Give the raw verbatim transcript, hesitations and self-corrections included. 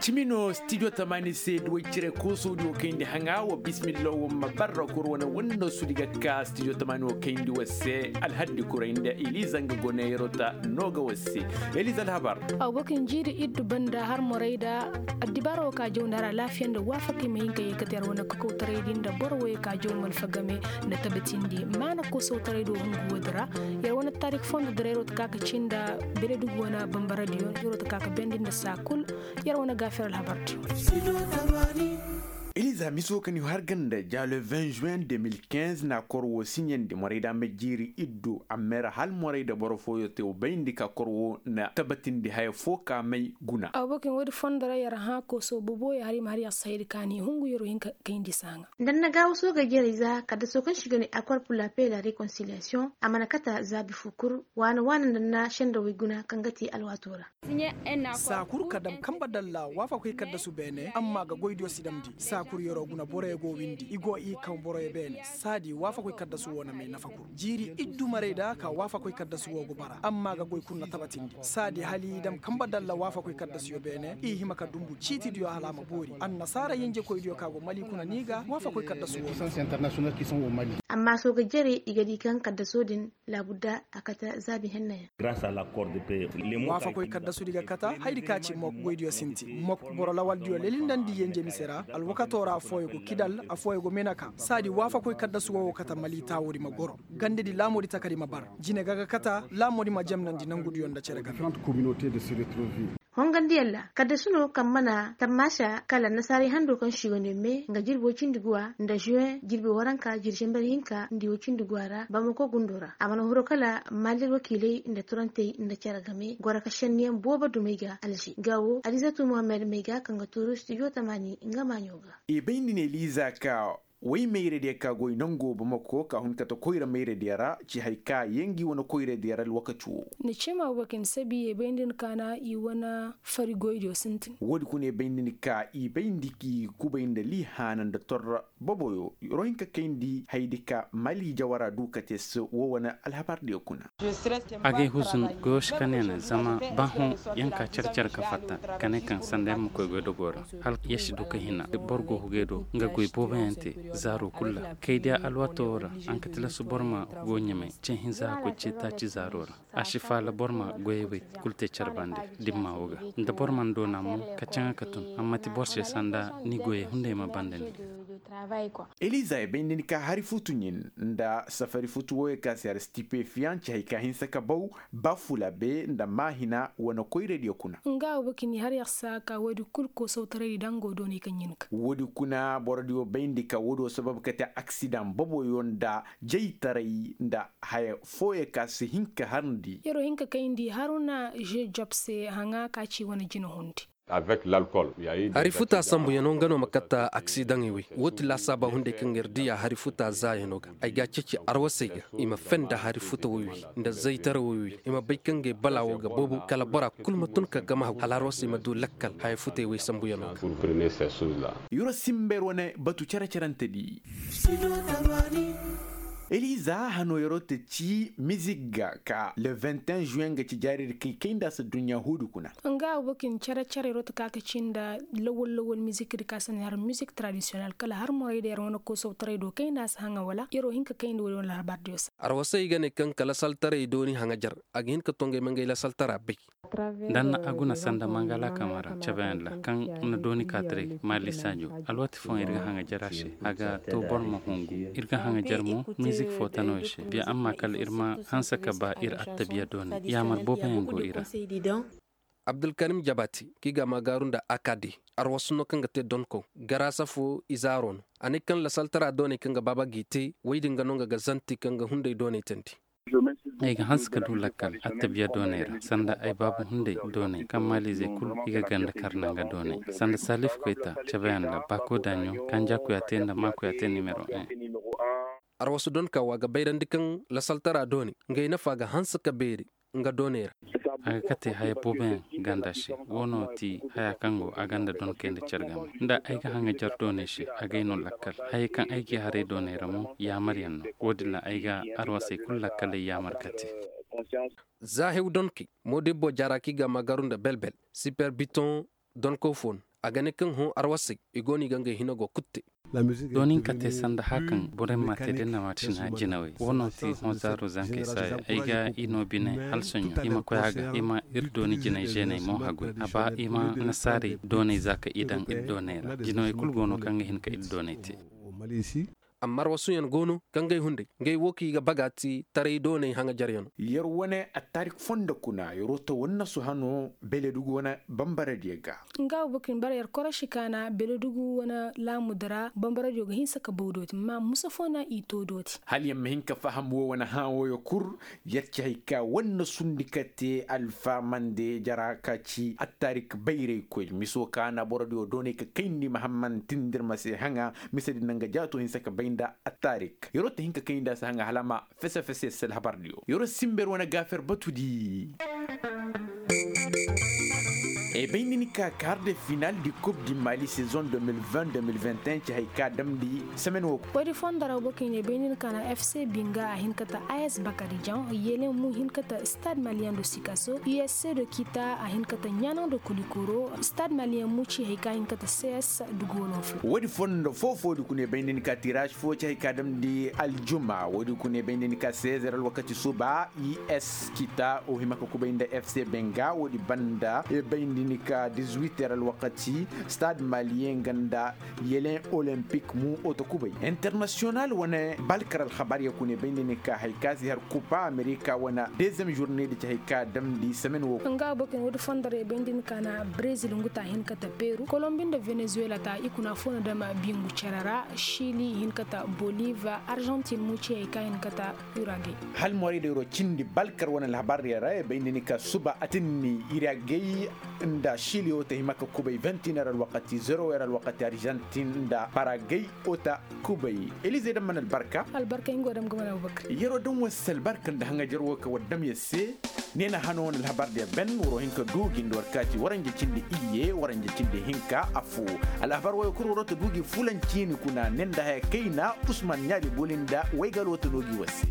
Cimi no studio tamaani se duwey cire koosodiyo kayndi haŋa wa bismillah wa ma barra kuru wane wanda su di ga ka studio tamaani wo kayndi wa se alhaddi kuray nda eliza nga gone yerota no ga wa se. Eliza alhabar. Aw bakin jiiri iddu banda har moray da addibaara wo ka jaw nda har alaafiya nda waafakay ma hin ka ye ka te har wane kakawtaray di nda boro wo ye ka jaw malfa game nda tabatindi maana koosawtaray do hungu wo di ra. Yer wane taarik fondo dira yerota ka ka ci nda beledugu wane bambaradiyo yerota ka ka bendi nda saa kul. Yer wane gaafir alhabar di. Eliza miso ka ni har ganda ja le vingt juin deux mille quinze na kor wo siɲandi moray da ma jiiri iddu amma yer hal moray da boro fooyo te wo bayndi ka kor wo na tabatindi haya fo ka may guna. Aw bakin woodi fondo ra yer hã kooso bobo yer har i ma har yer saydi ka ni hungu yer wo hin ka kayndi saaŋa. Nda na gaawo sooga jerey za kaddaso kaŋ si ga ne akor pur la pe la rekonsiliyasiyoŋ a mana kata zaabi fo kul waana waana nda na sendawey guna kaŋ ga te alwaato ra. Saa kul ka dam kamba dalla waafakoy kaddasu beene amma ga goydiyo si damndi saa kul yeroo guna boroyo go windi i go i kaŋ boroyo beene saadi waafakoy kaddasu wo na may nafa kul jiiri iddu marey da ka waafakoy kaddasu wo go bara amma ga goy kul na tabatindi saadi hala i dam kamba dalla waafakoy kaddasuyo beene i hima ka dumbu ciitidiyo hala a ma boori annasaara yenjekoydiyo ka go mali kuna ni ga waafakoy kaddasu wo nafa. Amma sooga jere i ga di kaŋ kaddaso din laabudda a kate zaabi hennayaŋ. Waafakoy kaddasudi ga kate hayadi ka ci mok goydiyo sinti mok boro lawaldiyo lelindandi yenje mise ra alwakato ra affooyo go kidal affooyo go menaka saadi waafakoy kaddasu wo wo kate mali taawodi ma goro gandedi laamoodi takadi ma bar jine ga ga kate laamoodi ma jemnandi nangudiyo nda cere ga. Hongandiyaŋ ra kaddasu no kaŋ mana tammaasa kala annasaarey hando kaŋ si wane me nga jirbi woy cindi guwa nda juwen jirbi waranka jiri zenber hinka nda i woy cindi guwa ra bamako gundo ra a mana huru kala maali wakiiley nda turantey nda cere game goro ka senniyaŋ boobo dumey ga alze nga wo alizatu muhammed may ga kaŋ ga tuuru studio tamaani nga maaɲo ga. I bay nda ne liiza ka way mayradiya ka goy nango bamako ka hun kate koyra mayradiya ra ci hari ka yaŋ gi wane koyradiya ra alwakati wo. Ni cima wo ga hin sabi ye bay nda ni ka na i wane fari goydiyo sintin. Wo- din kuna ye bay nda ni ka i bay nda ki kubay nda liihaana nda torra boboyo ro hin ka kayndi hayadi ka mali jawara du kate se wo wane alhabardiyo kuna. Agay huzun goyoš ka ne ne zama ba hõ yaŋ ka care care ka fatta ka ne kaŋ sanda yaŋ ma koy goy dogo ra hala ya si du ka hina boro go hugay do nga goy boobo yaŋ te zaaro kul ra kay diya alwaato wo ra. Ankatilasu boro ma go ɲamay ce hinza ka koy ce taaci zaaro ra a si faala boro ma goyey wey kul te care bande dimma wo ga nda boro mana doona mo ka caŋa ka tun amma ti boro se sanda ni goyey hunday ma banda ni. Eliza ay bay nda ni ka hari futu ɲin nda safari futu wooyo ka se har stipefiyan ci hari ka hinsa ka baw ba fula be nda maahina wane koyradiyo kuna. Nga wo ga kini har yer saa ka woodi kul koosawtaraydi daŋ go doonay ka ɲin ka. Woodi kuna borodiyo bayndi ka woodiyo sabab ka te aksidaŋ boboyo nda jaytaray nda haya fooyo ka si hin ka harndi. Yer'o hin ka kayndi haruna žežob se haŋa ka ci wane jina hundi. Hari futa sambuyanoo nga no ma katta aksidaŋey wey woo ti laasaaba hunday kaŋ ga ir diya hari futa zaayanoo ga. Ay ga a ceeci arwasey ga i ma fen nda hari futa woy wey nda zaytara woy wey i ma bay kaŋ ga ay balaa woo ga boobo kala bora kul ma tun ka gama hagu hala arwasey ma du lakkal haya futey wey sambuyanoo ga. Yoro simber wane batu cere-cerante di. Eliza hano yoro te ci mizik ga ka le vingt et un juin ga ci jaari da kay kay nda sa dunya hudu kuna. Nga wo ga hin cere-cere yoro te ka ka ci nda lawal-lawal mizik da ka sanda har mizik tradisiyonal kala har moray da yar wane koosawtaray do kay nda sa haŋa wala yaro hin ka kay nda wala wala habar diyo sa. Arwasay ga ne kaŋ ka lasaltaray dooni haŋa jar a ga hin ka tongay ma ngay lasaltara bay. Danna a guna sanda mangala kamara cabeyaŋ ra kaŋ na dooni kaataray maali saajo. Alwaati fooyaŋ ir ga haŋajer a se a ga to boro ma hungu. Ir ga haŋajer mo mizik fo tano i se biya amma kala ir ma hanse ka ba ir attabiya doonay yaamar booboyaŋ go i ra. Abdulkarim jabati kaŋ i ga a maagaaru nda akade arwasu no kaŋ ga te donko garaasa fo izaaro no. A ne kaŋ lasaltara doonay kaŋ ga baaba g'i te woy din ga no nga ga zanti kaŋ ga hunday doonay teendi. Ay ga hanse ka du lakkal attabiya doonay ra sanda ay baabu hunday doonay kaŋ maaliizey kul i ga ganda kar nda nga doonay sanda saalif koyta cabeyaŋ nda baako daaɲo kanja kuyaate nda maa kuyaate nimero un. Arwasu donka wo a ga bayrandi kaŋ lasaltara doonay ngey nafa ga hanse ka beeri nga doonay ra. A ga kate haya booboyaŋ ganda se woo no ti haya kaŋ go a ganda donkey nda care game nda ay ga haŋajer doonay se agay no lakkal hayey kaŋ ay g'i haray doonay ra mo yaamaryaŋ no. Woo din ra ay ga arwasey kul lakkaley yaamar kate. Za hew donkey moodibbo jaara kaŋ i ga a maagaaru nda belbel siper bitoŋ donko fo no. a ga ne kaŋ hõ arwasey i go no i ga ngey hina go kulu te. Dooni hinka te sanda haka kaŋ borey ma te da iri na maacina jinawey wo no ti hõ zaaru zankey saaya ay ga i no bine hala soɲõ i ma koy a ga i ma iri dooni jinay zeeney mo haguy a ba i ma nasaarey dooney za ka i daŋ iri dooney ra jinawey kulu go no kaŋ ga hin ka iri dooney te. Amma arwasuyaŋ go no kaŋ ga ay hunday ngey wo kaŋ i ga baga ti taray dooney haŋajaryaŋo. Yer wane attaarik fondo kuna yer wo ta wannasu hano beledugu wane bambaradiyo ga. Nga bukun bara yer koroši kaana beledugu wane laamudu ra bambaradiyo ga hinsa ka baw dooti ma musa fo na i to dooti. Hala yer ma hin ka faham wo wane hã woyo kul yer ci hay ka wannasundi ka te alfaamande jara ka ci attaarik bayraykoy miso kaana borodiyo dooney ka kayndi mahamman tindirma se haŋa. Mise din na nga jaato hinsa ka bay nda attaarik yeroo ta hin ka kay nda a si haŋa hala a ma fese fese yer se alhabardiyo yeroo simber wane gaafer batudi. Ay bay nda ni ka kaar de final di kub di mali saison deux mille vingt deux mille vingt et un ci hay ka damndi semaine wo. Woodi fondo ra wo kaŋ i ne bay nda ni ka na fc binga a hin ka ta as bakarijan yelen mu hin ka ta stade malien do sikaso usc do kita a hin ka ta ɲaanaŋ do kulikoro stade malien mu ci hay ka hin ka ta cs dugo no fo. Woodi fondo foo foodi kuna ay bay nda ni ka tiras fo ci hay ka damndi aljuma woodi kuna ay bay nda ni ka seize heures alwakati suba. Us kita o hima ka kubay nda fc benga woodi banda ay bay nda ni ka dix-huit heures alwakati stade malien nga nda yelen olympique mu o ta kubay international wane balkar alhabar ya kuna ay bay nda ni ka hay ka si har kupa amerika wane deuxième journée di ci hay ka damndi semaine wo. Nga abokin woodi fondo ra ay bay nda ni ka na brezil ngu ta hin ka ta peru kolombi nda venezuela ta i kuna fo na dama bingu cere ra chili hin ka ta boliva argentine mu ci hay ka hin ka ta uragay. Hal moray da yeroo cindi balkar wane alhabar ya ra ay bay nda ni ka suba atinni iragay nda chili wo ta hima ka kubay vingt et un heures alwakati zéro heures alwakati argentine nda paragay wo ta kubay. Elize daŋ mana albarka albarka nga wo daŋ ga mana abubakar yeroo daŋ wasa albarka nda haŋajer wo ka war daŋ yer se. Ne na hano wane alhabar diya ben waroo hin ka du gi nda war kaati waranja cindi iyye waranja cindi hinka affoo. Alhabar woyo kul waroo ta du gi fulan ciini kuna ne nda haya kayna usman ɲaabi boli nda waygal wo ta no gi war se.